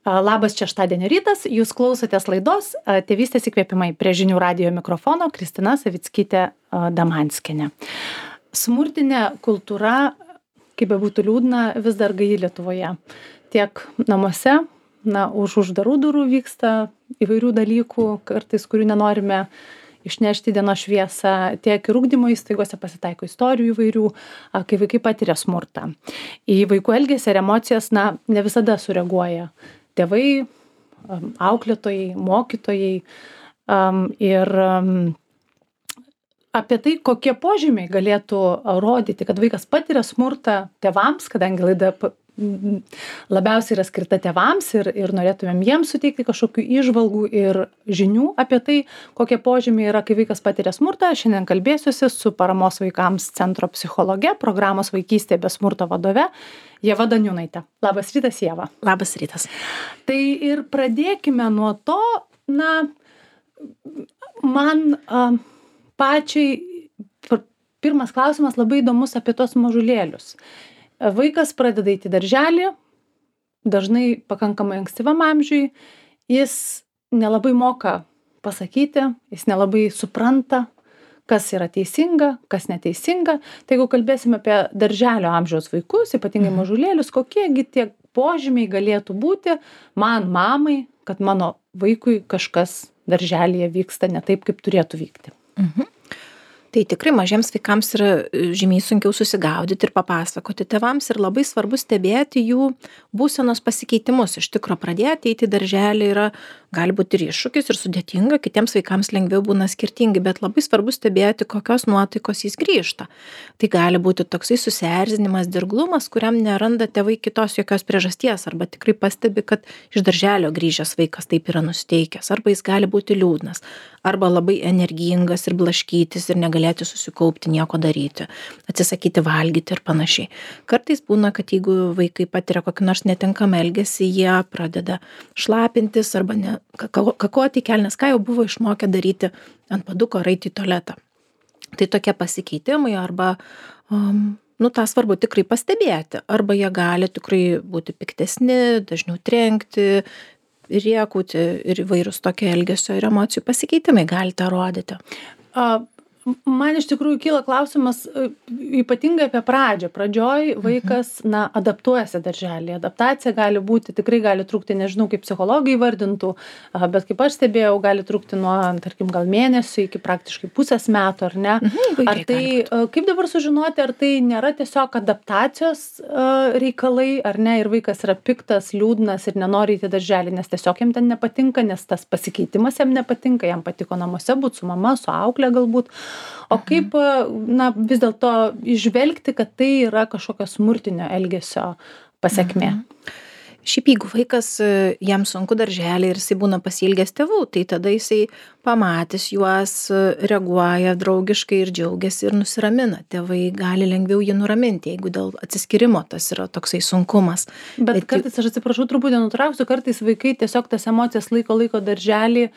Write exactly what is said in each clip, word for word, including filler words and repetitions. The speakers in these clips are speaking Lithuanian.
Labas šeštadienio rytas, jūs klausotės laidos Tėvystės įkvėpimai. Prie žinių radijo mikrofono Kristina Savickytė Damanskienė. Smurtinė kultūra, kaip bebūtų liūdna, vis dar gaji Lietuvoje. Tiek namuose, na, už uždarų durų vyksta įvairių dalykų, kartais kurių nenorime išnešti dienos šviesą, tiek ir ugdymo įstaigose pasitaiko istorijų įvairių, kai vaikai patiria smurtą. Į vaikų elgesį ir emocijas, na, ne visada sureaguoja tėvai, auklėtojai, mokytojai. Ir apie tai, kokie požymiai galėtų rodyti, kad vaikas patiria smurtą tėvams, kadangi laida labiausiai yra skirta tėvams ir, ir norėtumėm jiems suteikti kažkokių įžvalgų ir žinių apie tai, kokie požymiai yra, kai vaikas patiria smurtą. Šiandien kalbėsiuosi su Paramos vaikams centro psichologe, programos Vaikystė be smurto vadove Ieva Daniūnaitė. Labas rytas, Ieva. Labas rytas. Tai ir pradėkime nuo to, na, man a, pačiai pirmas klausimas labai įdomus apie tos mažulėlius. Vaikas pradeda eiti į darželį, dažnai pakankamai ankstyvam amžiui, jis nelabai moka pasakyti, jis nelabai supranta, kas yra teisinga, kas neteisinga. Tai jeigu kalbėsime apie darželio amžiaus vaikus, ypatingai mažulėlius, kokiegi tie požymiai galėtų būti man, mamai, kad mano vaikui kažkas darželyje vyksta ne taip, kaip turėtų vykti. Mhm. Tai tikrai mažiems vaikams yra žymiai sunkiau susigaudyti ir papasakoti tėvams ir labai svarbu stebėti jų būsenos pasikeitimus. Iš tikro pradėti eiti į darželį yra, gali būti ir iššūkis ir sudėtinga, kitiems vaikams lengviau būna skirtingi, bet labai svarbu stebėti, kokios nuotaikos jis grįžta. Tai gali būti toksai susierzinimas, dirglumas, kuriam neranda tėvai kitos jokios priežasties, arba tikrai pastebi, kad iš darželio grįžęs vaikas taip yra nusiteikęs, arba jis gali būti liūdnas, arba labai energingas ir blaškytis ir negali galėti susikaupti, nieko daryti, atsisakyti valgyti ir panašiai. Kartais būna, kad jeigu vaikai patiria kokį nors netinkamą elgesį, jie pradeda šlapintis arba ne, kakoti kelnes, ką jau buvo išmokę daryti ant paduko ar eiti į tualetą. Tai tokie pasikeitimai arba, um, nu, tą svarbu tikrai pastebėti. Arba jie gali tikrai būti piktesni, dažniau trenkti, riekauti ir įvairūs tokie elgesio ir emocijų pasikeitimai gali tą rodyti. Uh. Man iš tikrųjų kyla klausimas ypatingai apie pradžią. Pradžioj vaikas, na, adaptuojasi darželį. Adaptacija gali būti, tikrai gali trukti, nežinau, kaip psichologai vardintų, bet kaip aš stebėjau, gali trukti nuo, tarkim, gal mėnesio iki praktiškai pusės metų, ar ne? Mhm, ar tai, kaip dabar sužinoti, ar tai nėra tiesiog adaptacijos reikalai, ar ne, ir vaikas yra piktas, liūdnas ir nenori įti darželį, nes tiesiog jam ten nepatinka, nes tas pasikeitimas jam nepatinka, jam patiko namuose būti su mama, su auklė galbūt. O kaip, na, vis dėlto įžvelgti, kad tai yra kažkokio smurtinio elgesio pasekmė? Mhm. Šiaip jeigu vaikas, jam sunku darželį ir jisai būna pasiilgęs tėvų, tai tada jisai pamatys juos, reaguoja draugiškai ir džiaugiasi ir nusiramina. Tėvai gali lengviau jį nuraminti, jeigu dėl atsiskyrimo tas yra toksai sunkumas. Bet, Bet kartais, aš atsiprašau, truputį nutrauksiu, kartais vaikai tiesiog tas emocijas laiko laiko darželį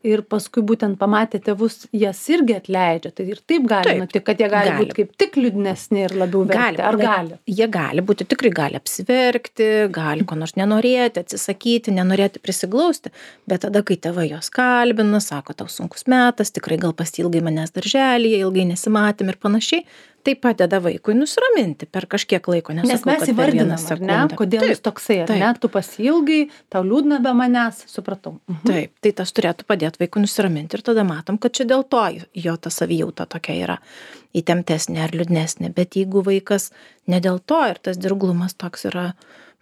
ir paskui būtent pamatę tėvus, jas irgi atleidžia. Tai ir taip gali nutikti, kad jie gali, gali būti kaip tik liūdnesni ir labiau verkti. Ar gali? Jie gali būti, tikrai gali apsiverkti, gali ko nors nenorėti, atsisakyti, nenorėti prisiglausti, bet tada, kai tėvai jos kalbina, sako, tau sunkus metas, tikrai gal pasiilgai manęs darželyje, ilgai nesimatėm ir panašiai, tai padeda vaikui nusiraminti per kažkiek laiko. Nesakau, nes mes įvardinam, ar ne, kodėl jis toksai, ar ne, tu pasiilgai, tau liūdna be manęs, supratau. Mhm. Taip, tai tas turėtų padėti vaikui nusiraminti ir tada matom, kad čia dėl to jo ta savijauta tokia yra įtemptesnė ar liūdnesnė, bet jeigu vaikas ne dėl to ir tas dirglumas toks yra,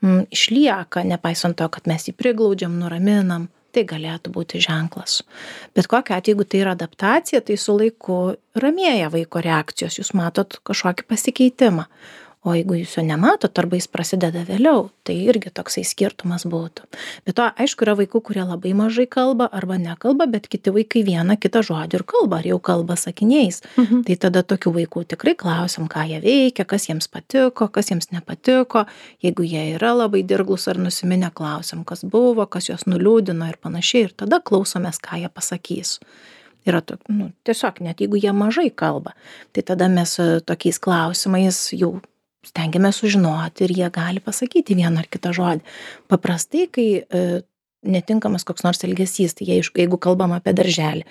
m, išlieka, nepaisant to, kad mes jį priglaudžiam, nuraminam, tai galėtų būti ženklas. Bet kokiu atveju, jeigu tai yra adaptacija, tai su laiku ramėja vaiko reakcijos, jūs matot kažkokį pasikeitimą. O jeigu jūs jo nematot, arba jis prasideda vėliau, tai irgi toksai skirtumas būtų. Bet to, aišku, yra vaikų, kurie labai mažai kalba arba nekalba, bet kiti vaikai vieną kitą žodį ir kalba, ar jau kalba sakiniais. Mhm. Tai tada tokių vaikų tikrai klausim, ką jie veikia, kas jiems patiko, kas jiems nepatiko. Jeigu jie yra labai dirglus ar nusiminę, klausim, kas buvo, kas juos nuliūdino ir panašiai. Ir tada klausomės, ką jie pasakys. Yra to, nu, tiesiog net jeigu jie mažai kalba, tai tada mes tokiais klausimais jau stengiamės sužinoti ir jie gali pasakyti vieną ar kitą žodį. Paprastai, kai e, netinkamas koks nors elgesys, tai jie, jeigu kalbam apie darželį,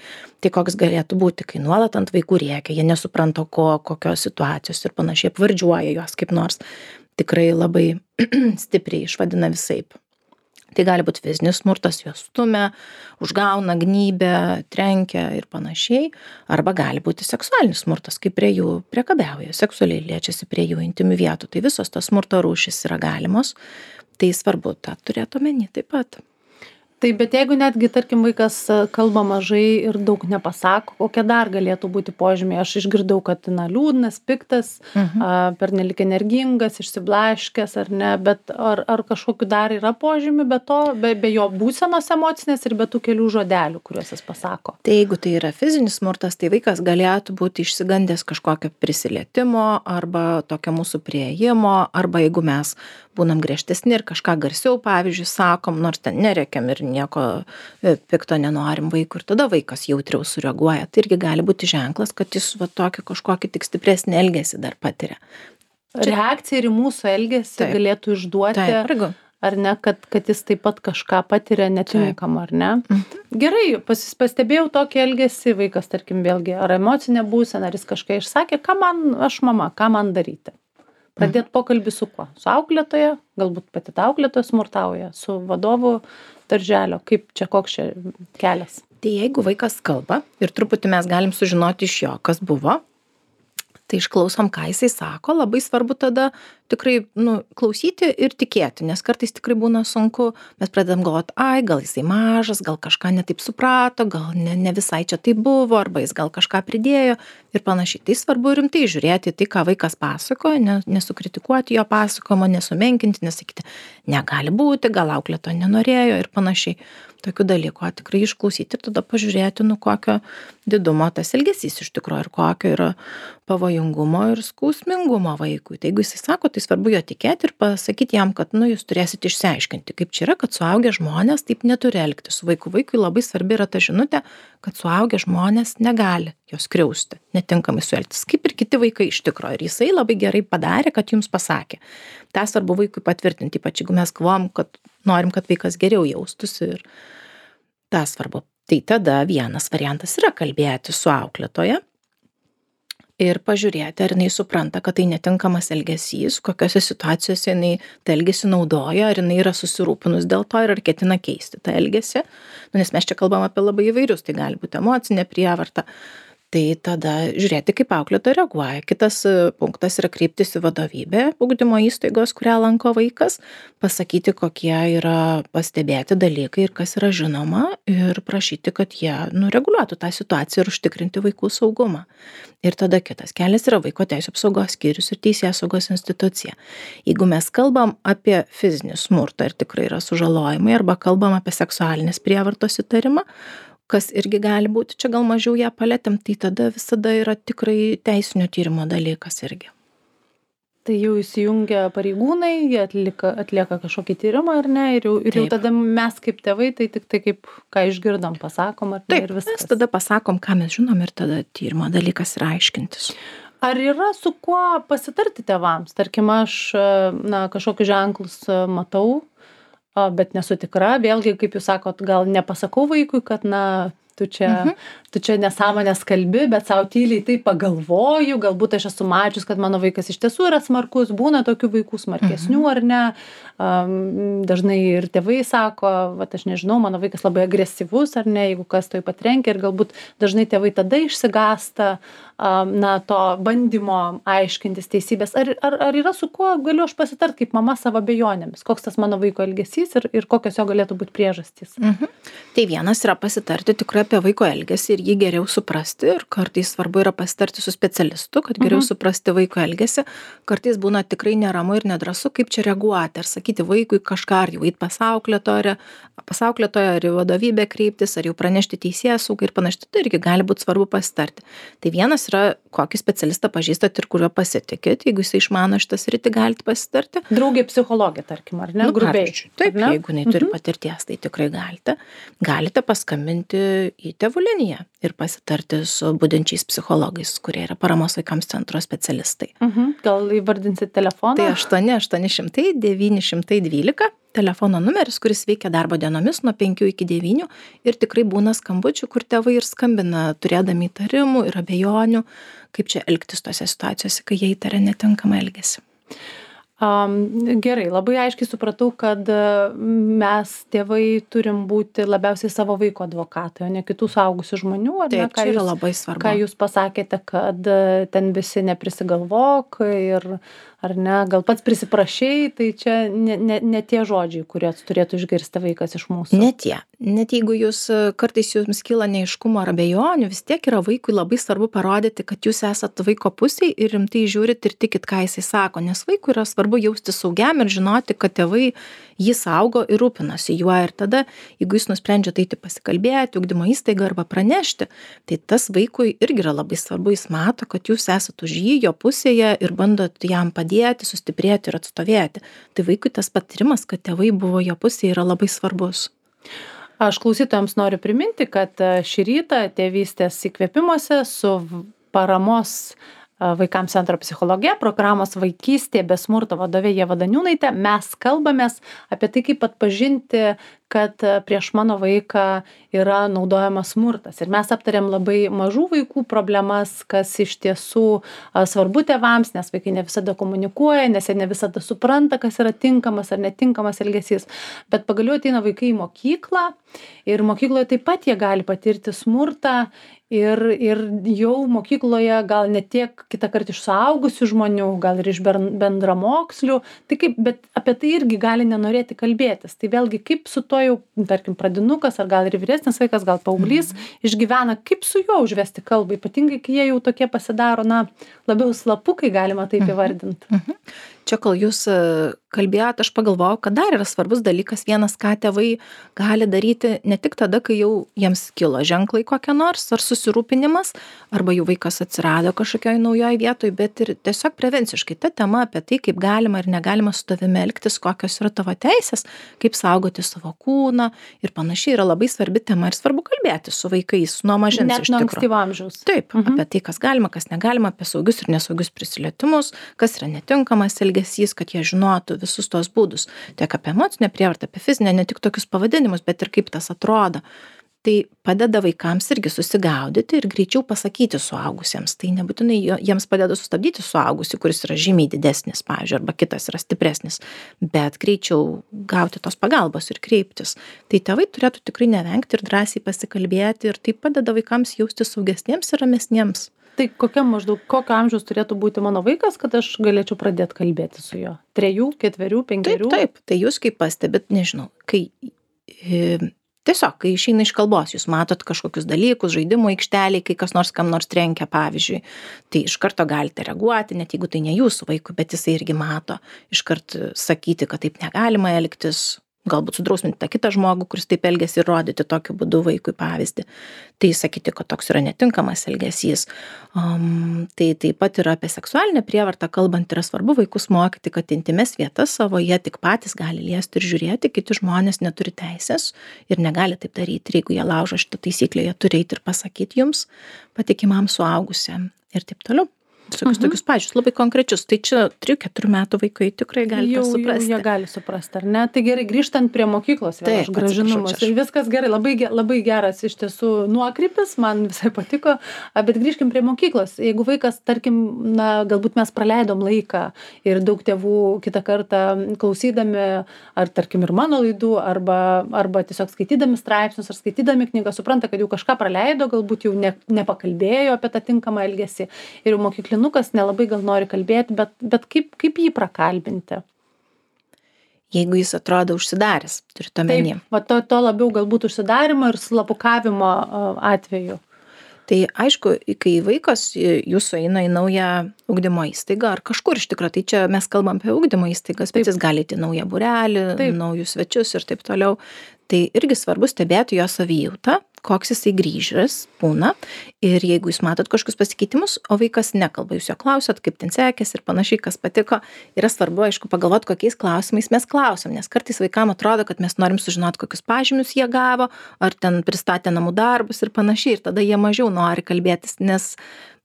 tai koks galėtų būti, kai nuolat ant vaikų rėkia, jie nesupranta ko, kokios situacijos ir panašiai apvardžiuoja juos kaip nors, tikrai labai stipriai išvadina visaip. Tai gali būti fizinis smurtas, juos stumia, užgauna, gnybia, trenkia ir panašiai. Arba gali būti seksualinis smurtas, kai prie jų priekabiauja, seksualiai liečiasi prie jų intimių vietų. Tai visos tos smurto rūšys yra galimos. Tai svarbu tą turėti omeny taip pat. Tai bet jeigu netgi, tarkim, vaikas kalba mažai ir daug nepasako, kokie dar galėtų būti požymiai? Aš išgirdau, kad na, liūdnas, piktas, mhm. a, pernelik energingas, išsiblaškęs ar ne, bet ar, ar kažkokiu dar yra požymių be to, be, be jo būsenos emocinės ir be tų kelių žodelių, kuriuos jis pasako? Tai jeigu tai yra fizinis smurtas, tai vaikas galėtų būti išsigandęs kažkokio prisilietimo arba tokio mūsų prieėjimo, arba jeigu mes būnam griežtesni ir kažką garsiau, pavyzdžiui, sakom, nors ten nerėkiam ir nieko pikto nenorim vaikui ir tada vaikas jautriau sureaguoja. Tai irgi gali būti ženklas, kad jis va tokį kažkokį tik stipresnį elgesį dar patiria. Čia... Reakcija ir į mūsų elgesį taip. Galėtų išduoti, taip, ar ne, kad, kad jis taip pat kažką patiria netinkamą, ar ne? Mhm. Gerai, pas, pastebėjau tokį elgesį, vaikas, tarkim, vėlgi, ar emocinė būsena, ar jis kažką išsakė, ką man, aš mama, ką man daryti? Pradėti pokalbį su kuo? Su auklėtoja, galbūt pati ta auklėtoja smurtauja, su vadovu darželio, kaip čia, koks čia kelias? Tai jeigu vaikas kalba ir truputį mes galim sužinoti iš jo, kas buvo, tai išklausom, ką jisai sako, labai svarbu tada tikrai nu, klausyti ir tikėti, nes kartais tikrai būna sunku, mes pradedam galvoti, ai, gal jisai mažas, gal kažką netaip suprato, gal ne, ne visai čia tai buvo, arba jis gal kažką pridėjo ir panašiai. Tai svarbu rimtai žiūrėti tai, ką vaikas pasakoja, ne, nesukritikuoti jo pasakojimo, nesumenkinti, nesakyti, negali būti, gal auklėto nenorėjo ir panašiai. Tokių dalykų, tikrai išklausyti ir tada pažiūrėti, nu kokio didumo tas elgesys iš tikrųjų ir kokio yra pavojingumo ir skausmingumo vaikui. Tai jeigu jisai sako, tai svarbu jo tikėti ir pasakyti jam, kad nu, jūs turėsite išsiaiškinti, kaip čia yra, kad suaugę žmonės taip neturi elgti su vaiku. Vaikui labai svarbi yra ta žinutė, kad suaugę žmonės negali jos skriausti, netinkamai suelgtis, kaip ir kiti vaikai iš tikrųjų. Ir jisai labai gerai padarė, kad jums pasakė. tą svarbu vaikui patvirtinti, ypač jeigu mes galvojam, kad norim, kad vaikas geriau jaustųsi ir tą svarbu. Tai tada vienas variantas yra kalbėti su auklėtoja ir pažiūrėti, ar jinai supranta, kad tai netinkamas elgesys, kokiose situacijose jinai tą elgesį naudoja, ar jinai yra susirūpinus dėl to ir ar ketina keisti tą elgesį. Nu, nes mes čia kalbam apie labai įvairius, tai gali būti emocinė prievarta. Tai tada žiūrėti, kaip auklėtoja reaguoja. Kitas punktas yra kreiptis į vadovybę ugdymo įstaigos, kurią lanko vaikas, pasakyti, kokie yra pastebėti dalykai ir kas yra žinoma ir prašyti, kad jie nu, reguliuotų tą situaciją ir užtikrinti vaikų saugumą. Ir tada kitas kelias yra vaiko teisių apsaugos skyrius ir teisėsaugos institucija. Jeigu mes kalbam apie fizinį smurtą ir tikrai yra sužalojimai arba kalbam apie seksualinės prievartos įtarimą, kas irgi gali būti, čia gal mažiau ją palėtėm, tai tada visada yra tikrai teisinio tyrimo dalykas irgi. Tai jau įsijungia pareigūnai, jie atlieka, atlieka kažkokį tyrimą ar ne, ir jau, ir jau tada mes kaip tėvai, tai tik tai kaip, ką išgirdom, pasakom ar ne. Taip, ir viskas. Mes tada pasakom, ką mes žinom ir tada tyrimo dalykas yra aiškintis. Ar yra su kuo pasitarti tėvams? Tarkim, aš na, kažkokius ženklus matau, bet nesu tikra, vėlgi, kaip jūs sakot, gal nepasakau vaikui, kad, na, tu čia, mhm. tu čia nesąmonės kalbi, bet savo tyliai tai pagalvoju, galbūt aš esu mačius, kad mano vaikas iš tiesų yra smarkus, būna tokių vaikų smarkesnių mhm. ar ne, um, dažnai ir tėvai sako, vat aš nežinau, mano vaikas labai agresyvus ar ne, jeigu kas to patrenkia ir galbūt dažnai tėvai tada išsigąsta, um, na, to bandymo aiškintis teisybės, ar, ar, ar yra su kuo galiu aš pasitart kaip mama savo abejonėmis, koks tas mano vaiko elgesys ir, ir kokios jo galėtų būti priežastys. Mhm. Tai vienas yra pasitarti tikrai apie vaiko elgesį ir jį geriau suprasti ir kartais svarbu yra pasitarti su specialistu, kad geriau mhm. suprasti vaiko elgesį. Kartais būna tikrai neramu ir nedrąsu, kaip čia reaguoti, ar sakyti vaikui kažką, ar jau eit pas auklėtoją, pas auklėtoją, ar į vadovybę kreiptis, ar jau pranešti teisėsaugai ir panašiai, tai irgi gali būti svarbu pasitarti. Tai vienas yra, kokį specialistą pažįstat ir kuriuo pasitikit, jeigu jis išmano šitą sritį, galite pasitarti. Draugė psichologė, tarkim, ar ne? Nu, grubiai. Taip, jeigu jinai turi mhm. patirties, tai tikrai galite. Galite paskambinti į tėvų liniją ir pasitarti su budinčiais psichologais, kurie yra paramos vaikams centro specialistai. Mhm. Gal įvardinsit telefoną? Tai aštuoni aštuoni šimtai devyni šimtai dvylika telefono numeris, kuris veikia darbo dienomis nuo penkių iki devynių ir tikrai būna skambučių, kur tėvai ir skambina, turėdami įtarimų ir abejonių, kaip čia elgtis tose situacijose, kai jie įtaria netinkamą elgesį. Um, gerai, labai aiškiai supratau, kad mes tėvai turim būti labiausiai savo vaiko advokatai, o ne kitų suaugusių žmonių. Ar Taip, ne, ką čia yra jūs, labai svarbu. Ką jūs pasakėte, kad ten visi neprisigalvok ir ar ne, gal pats prisiprašei, tai čia ne, ne, ne tie žodžiai, kuriuos turėtų išgirsti vaikas iš mūsų. Ne tie. Net jeigu jūs kartais jums kyla neiškumo ar abejonių, vis tiek yra vaikui labai svarbu parodyti, kad jūs esat vaiko pusėj ir rimtai žiūrit ir tikit, ką jisai sako, nes vaikui yra svarbu jausti saugiam ir žinoti, kad tėvai jį saugo ir rūpinasi juo. Ir tada, jeigu jūs nusprendžiate eiti pasikalbėti, ugdymo įstaigą arba pranešti, tai tas vaikui irgi yra labai svarbu, jis mato, kad jūs esat už jį, jo pusėje ir bandot jam padėti, sustiprėti ir atstovėti. Tai vaikui tas patyrimas, kad tėvai buvo jo pusėje, yra labai svarbus. Aš klausytojams noriu priminti, kad šį rytą tėvystės įkvėpimuose su paramos vaikams centro psichologe, programos Vaikystė be smurto vadovė Ieva Daniūnaitė, mes kalbamės apie tai, kaip atpažinti, kad prieš mano vaiką yra naudojamas smurtas. Ir mes aptarėm labai mažų vaikų problemas, kas iš tiesų svarbu tėvams, nes vaikai ne visada komunikuoja, nes jie ne visada supranta, kas yra tinkamas ar netinkamas elgesys. Bet pagaliau ateina vaikai į mokyklą ir mokykloje taip pat jie gali patirti smurtą. Ir, ir jau mokykloje gal ne tiek kitą kartą iš suaugusių žmonių, gal ir iš bendramokslių, tai kaip, bet apie tai irgi gali nenorėti kalbėtis. Tai vėlgi kaip su to jau, tarkim, pradinukas ar gal ir vyresnis vaikas, gal paauglys mm. išgyvena, kaip su juo užvesti kalbą, ypatingai kai jie jau tokie pasidaro, na, labiau slapukai galima taip mm. įvardinti. Mm -hmm. Čia, kol jūs kalbėjot, aš pagalvojau, kad dar yra svarbus dalykas vienas, ką tėvai gali daryti ne tik tada, kai jau jiems kilo ženklai kokie nors, ar susirūpinimas, arba jų vaikas atsirado kažkokioj naujoj vietoj, bet ir tiesiog prevenciškai ta tema apie tai, kaip galima ir negalima su tavimi elgtis, kokios yra tavo teisės, kaip saugoti savo kūną ir panašiai yra labai svarbi tema ir svarbu kalbėti su vaikais nuo mažens. Net nuo ankstyvo amžiaus. Taip, mhm. apie tai, kas galima, kas negalima, apie saugius ir nesaugius prisilietimus, kas yra netinkamas elgesys, kad jie žinotų visus tos būdus, tiek apie emocinę prievartą, apie fizinę, ne tik tokius pavadinimus, bet ir kaip tas atrodo. Tai padeda vaikams irgi susigaudyti ir greičiau pasakyti suaugusiems. Tai nebūtinai jiems padeda sustabdyti suaugusį, kuris yra žymiai didesnis, pavyzdžiui, arba kitas yra stipresnis, bet greičiau gauti tos pagalbos ir kreiptis. Tai tėvai turėtų tikrai nevengti ir drąsiai pasikalbėti ir tai padeda vaikams jausti saugesniems ir ramesniems. Tai kokia maždaug, kokio amžiaus turėtų būti mano vaikas, kad aš galėčiau pradėti kalbėti su juo? Trejų, ketverių, penkerių? Taip, taip. Tai jūs kaip pastebit, nežinau, kai e, tiesiog, kai išeina iš kalbos, jūs matot kažkokius dalykus, žaidimo aikšteliai, kai kas nors kam nors trenkia, pavyzdžiui, tai iš karto galite reaguoti, net jeigu tai ne jūsų vaikui, bet jisai irgi mato, iš karto sakyti, kad taip negalima elgtis, galbūt sudrausminti tą kitą žmogų, kuris taip elgiasi ir rodyti tokiu būdu vaikui pavyzdį. Tai sakyti, kad toks yra netinkamas elgesys. Um, tai taip pat yra apie seksualinę prievartą, kalbant yra svarbu vaikus mokyti, kad intimes vietas savo jie tik patys gali liesti ir žiūrėti, kiti žmonės neturi teisės ir negali taip daryti. Ir jeigu jie laužo šitą taisyklę, jie turi eiti ir pasakyti jums, patikimam suaugusiam ir taip toliau. Tokius, tokius pačius, labai konkrečius. Tai čia trijų keturių metų vaikai tikrai gali jau, suprasti. Jau jie gali suprasti, ar ne? Tai gerai, grįžtant prie mokyklos, vėl aš grąžinu mus. Viskas gerai, labai, labai geras iš tiesų nuokrypis, man visai patiko, bet grįžkim prie mokyklos. Jeigu vaikas, tarkim, na, galbūt mes praleidom laiką ir daug tėvų kitą kartą klausydami, ar tarkim ir mano laidų, arba, arba tiesiog skaitydami straipsnius, ar skaitydami knygą, supranta, kad jau kažką praleido, galbūt jau ne, nepakalbėjo apie tą tinkamą elgesį ir jau mokyklį nukas nelabai gal nori kalbėti, bet, bet kaip, kaip jį prakalbinti? Jeigu jis atrodo užsidaręs, turite omeny. Taip, va to, to labiau galbūt užsidarimo ir slapukavimo atveju. Tai aišku, kai vaikas jūsų eina į naują ugdymo įstaigą ar kažkur iš tikrųjų, tai čia mes kalbam apie ugdymo įstaigas, bet jis gali į naują būrelį, naujus svečius ir taip toliau. Tai irgi svarbu stebėti jo savijautą, koks jisai grįžęs būna ir jeigu jūs matot kažkokius pasikeitimus, o vaikas nekalba, jūs jo klausot, kaip ten sekėsi ir panašiai, kas patiko, yra svarbu, aišku, pagalvot, kokiais klausimais mes klausom, nes kartais vaikam atrodo, kad mes norim sužinoti, kokius pažymius jie gavo, ar ten pristatė namų darbus ir panašiai, ir tada jie mažiau nori kalbėtis, nes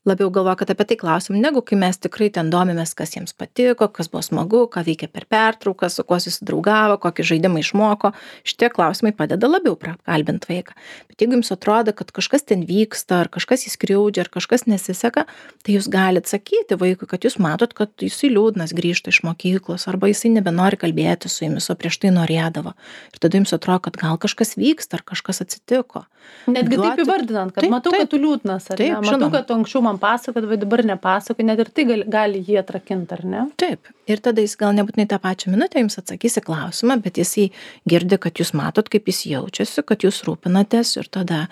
labiau galvoja, kad apie tai klausim, negu kai mes tikrai ten domimės, kas jiems patiko, kas buvo smagu, ką veikia per pertrauką, su kuo susidraugavo, kokį žaidimą išmoko. Šitie klausimai padeda labiau prakalbinti vaiką. Bet jeigu jums atrodo, kad kažkas ten vyksta, ar kažkas įskriaudžia, ar kažkas nesiseka, tai jūs galite sakyti vaikui, kad jūs matot, kad jisai liūdnas grįžta iš mokyklos, arba jisai nebenori kalbėti su jumis, o prieš tai norėdavo. Ir tada jums atrodo, kad gal kažkas vyksta, ar kažkas atsitiko. Netgi Duoti... taip įvardinant, kad taip, matau, taip. kad tu liūdnas, ar Taip, ne? Matau, žinoma. kad tu anksčiau man pasakot, bet dabar nepasakot, net ir tai gali, gali jį atrakinti, ar ne? Taip. Ir tada jis gal nebūtinai tą pačią minutę jums atsakys į klausimą, bet jisai girdi, kad jūs matot, kaip jis jaučiasi, kad jūs rūpinatės ir tada,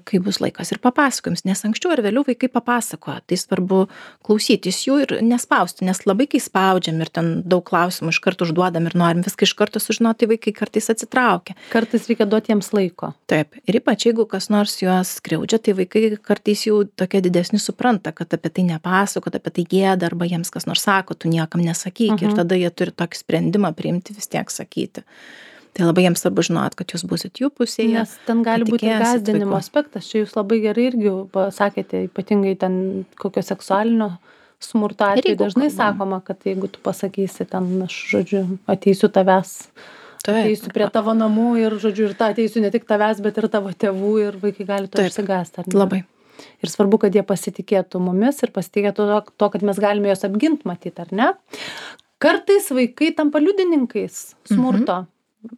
kai bus laikas ir papasakojams, nes anksčiau ar vėliau vaikai papasakoja, tai svarbu klausytis jų ir nespausti, nes labai kai spaudžiam ir ten daug klausimų iš karto užduodam ir norim viską iš karto sužinoti, tai vaikai kartais atsitraukia. Kartais reikia duoti jiems laiko. Taip, ir ypač jeigu kas nors juos skriaudžia, tai vaikai kartais jau tokie didesni supranta, kad apie tai nepasako, kad apie tai gėda, arba jiems kas nors sako, tu niekam nesakyk, Mhm. ir tada jie turi tokį sprendimą priimti vis tiek sakyti. Tai labai jiems svarbu žinot, kad jūs busit jų pusėje. Nes ten gali būti ir patikėsit gąsdinimo vaiku. aspektas. Čia jūs labai gerai irgi pasakėte, ypatingai ten kokio seksualinio smurto Ir atveju jeigu dažnai kalbam. sakoma, kad jeigu tu pasakysi ten, aš žodžiu, ateisiu tavęs, Taip. ateisiu prie tavo namų ir žodžiu, ir ta ateisiu ne tik tavęs, bet ir tavo tėvų ir vaikai gali to Taip. išsigąsti. ar ne? Labai. Ir svarbu, kad jie pasitikėtų mumis ir pasitikėtų to, to kad mes galime juos apginti, matyti, ar ne? Kartais vaikai tampa liudininkais smurto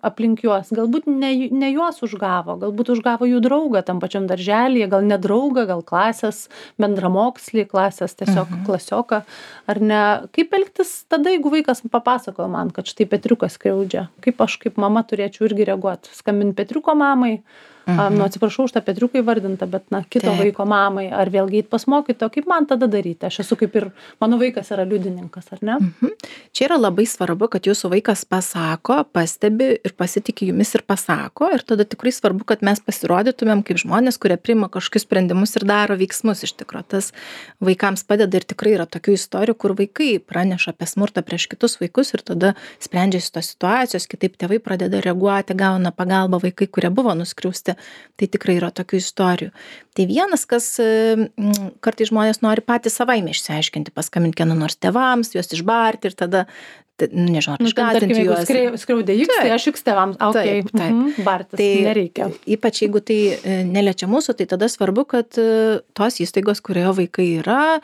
aplink juos. Galbūt ne, ne juos užgavo, galbūt užgavo jų draugą tam pačiam darželyje, gal ne draugą, gal klasės bendramokslį, klasės tiesiog klasioką, ar ne? Kaip elgtis tada, jeigu vaikas papasakojo man, kad štai Petriukas skriaudžia? Kaip aš kaip mama turėčiau irgi reaguoti? Skambinti Petriuko mamai? Mhm. Nu, atsiprašau už tą Petriuką įvardintą, bet, na, kito Taip. vaiko mamai, ar vėlgi eit pas mokytoją, kaip man tada daryti? Aš esu kaip ir, mano vaikas yra liudininkas, ar ne? Mhm. Čia yra labai svarbu, kad jūsų vaikas pasako, pastebi ir pasitikė jumis ir pasako. Ir tada tikrai svarbu, kad mes pasirodytumėm kaip žmonės, kurie priima kažkokius sprendimus ir daro veiksmus iš tikrųjų. Tas vaikams padeda ir tikrai yra tokių istorijų, kur vaikai praneša apie smurtą prieš kitus vaikus ir tada sprendžiasi tos situacijos, kitaip tėvai pradeda reaguoti, gauna pagalbą vaikai, kurie buvo nuskriausti. Tai tikrai yra tokių istorijų. Tai vienas, kas kartais žmonės nori patys savaime išsiaiškinti, paskambinti kieno nors tėvams, juos išbarti ir tada, tai, nežinau, ar Nu, ten, tarkim, išgąsdinti jeigu juos. skrei- skriaudė X, tai Taip. aš X tėvams. Okay. Taip, taip. Mhm. Bartis, Tai nereikia. ypač jeigu tai e, neliečia mūsų, tai tada svarbu, kad e, tos įstaigos, kurioje vaikai yra,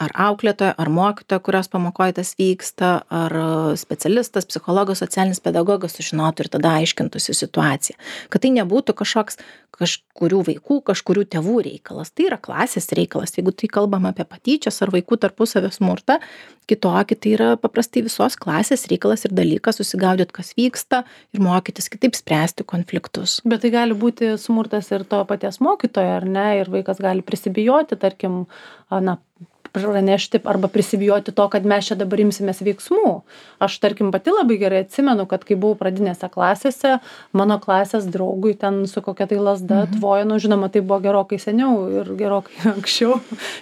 ar auklėtoja, ar mokytoja, kurios pamokoje tas vyksta, ar specialistas, psichologas, socialinis pedagogas sužinotų ir tada aiškintųsi situaciją. Kad tai nebūtų kažkoks kažkurių vaikų, kažkurių tėvų reikalas. Tai yra klasės reikalas. Jeigu tai kalbam apie patyčias ar vaikų tarpusavio smurtą, kitokį, tai yra paprastai visos klasės reikalas ir dalykas susigaudyti, kas vyksta ir mokytis kitaip spręsti konfliktus. Bet tai gali būti smurtas ir to paties mokytojo, ar ne? Ir vaikas gali prisibijoti, tarkim, na, pranešti arba prisibijoti to, kad mes čia dabar imsimės veiksmų. Aš, tarkim, pati labai gerai atsimenu, kad kai buvau pradinėse klasėse, mano klasės draugui ten su kokia tai lasda Mhm. tvojo, nu, žinoma, tai buvo gerokai seniau ir gerokai anksčiau,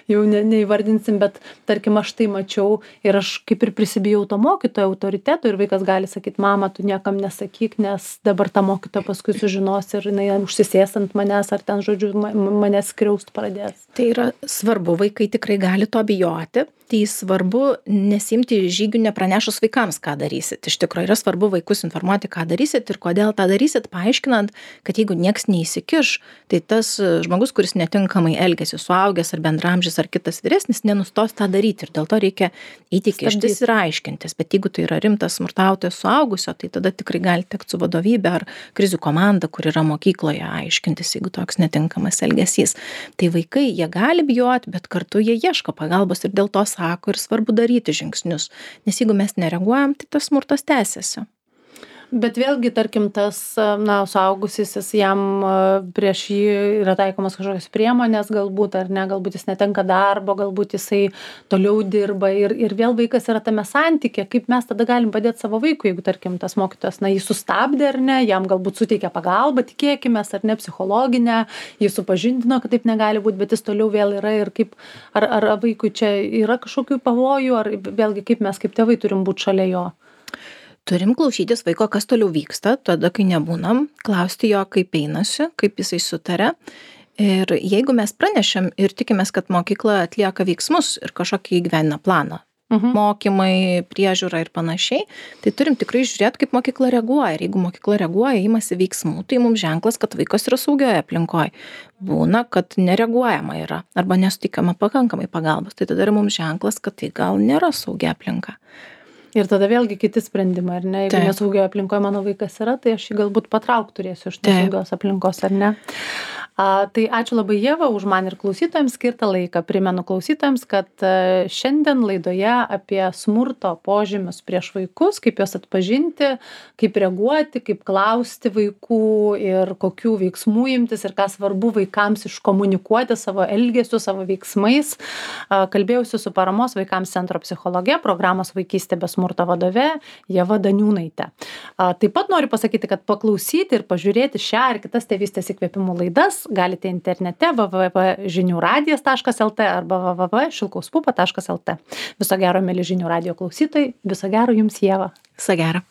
jau ne, neįvardinsim, bet, tarkim, aš tai mačiau ir aš kaip ir prisibijau to mokytojo autoriteto ir vaikas gali sakyti, mama, tu niekam nesakyk, nes dabar ta mokytoja paskui sužinos ir jinai užsisės ant manęs ar ten, žodžiu, ma- manęs skriaust pradės. Tai yra svarbu, vaikai tikrai gali to bijoti, tai svarbu nesimti žygių nepranešus vaikams, ką darysit. Iš tikrųjų yra svarbu vaikus informuoti, ką darysit ir kodėl tą darysit, paaiškinant, kad jeigu nieks neįsikiš, tai tas žmogus, kuris netinkamai elgesi, suaugęs ar bendramžis ar kitas vyresnis, nenustos tą daryti ir dėl to reikia eiti kištis ir aiškintis. Bet jeigu tai yra rimtas smurtautojas suaugusio, tai tada tikrai gali tekti su vadovybė ar krizių komanda, kur yra mokykloje, aiškintis, jeigu toks netinkamas elgesys. Tai vaikai, jie gali bijoti, bet kartu jie ieško pagalbos ir dėl to sako ir svarbu daryti žingsnius. Nes jeigu mes nereaguojam, tai tas smurtas tęsiasi. Bet vėlgi, tarkim, tas, na, suaugusysis, jam a, prieš jį yra taikomas kažkokios priemonės, galbūt, ar ne, galbūt jis netenka darbo, galbūt jisai toliau dirba ir, ir vėl vaikas yra tame santykė, kaip mes tada galim padėti savo vaikui, jeigu, tarkim, tas mokytojas, na, jį sustabdė ar ne, jam galbūt suteikia pagalbą, tikėkime, ar ne, psichologinę, jį supažindino, kad taip negali būti, bet jis toliau vėl yra ir kaip, ar, ar vaikui čia yra kažkokių pavojų, ar vėlgi kaip mes kaip tėvai turim būti šalia jo. Turim klausytis vaiko, kas toliau vyksta, tada, kai nebūnam, klausti jo, kaip einasi, kaip jisai sutarė. Ir jeigu mes pranešėm ir tikimės, kad mokykla atlieka veiksmus ir kažkokį įgyvendina planą, mhm. mokymai, priežiūra ir panašiai, tai turim tikrai žiūrėti, kaip mokykla reaguoja. Ir jeigu mokykla reaguoja, imasi veiksmų, tai mums ženklas, kad vaikas yra saugioje aplinkoje. Būna, kad nereaguojama yra arba nesutikama pakankamai pagalbos. Tai tada yra mums ženklas, kad tai gal nėra saugia aplinka. Ir tada vėlgi kiti sprendimai, ar ne? Jeigu Taip. nesaugioje aplinkoje mano vaikas yra, tai aš jį galbūt patrauk turėsiu iš nesaugios aplinkos, ar ne? A, tai ačiū labai, Ieva, už man ir klausytojams skirtą laiką. Primenu klausytojams, kad a, šiandien laidoje apie smurto požymius prieš vaikus, kaip juos atpažinti, kaip reaguoti, kaip klausti vaikų ir kokių veiksmų imtis ir ką svarbu vaikams iškomunikuoti savo elgesiu, savo veiksmais. A, kalbėjausi su Paramos vaikams centro psichologe, programos Vaikystė be smurto vadove Ieva Daniūnaitė. A, taip pat noriu pasakyti, kad paklausyti ir pažiūrėti šią ir kitas tėvystės įkvėpimų laidas galite internete w w w taškas žinių radijas taškas l t arba w w w taškas šilkaus pupa taškas l t. Viso gero, mieli Žinių radijo klausytojai, viso gero jums, Ieva. Viso gero.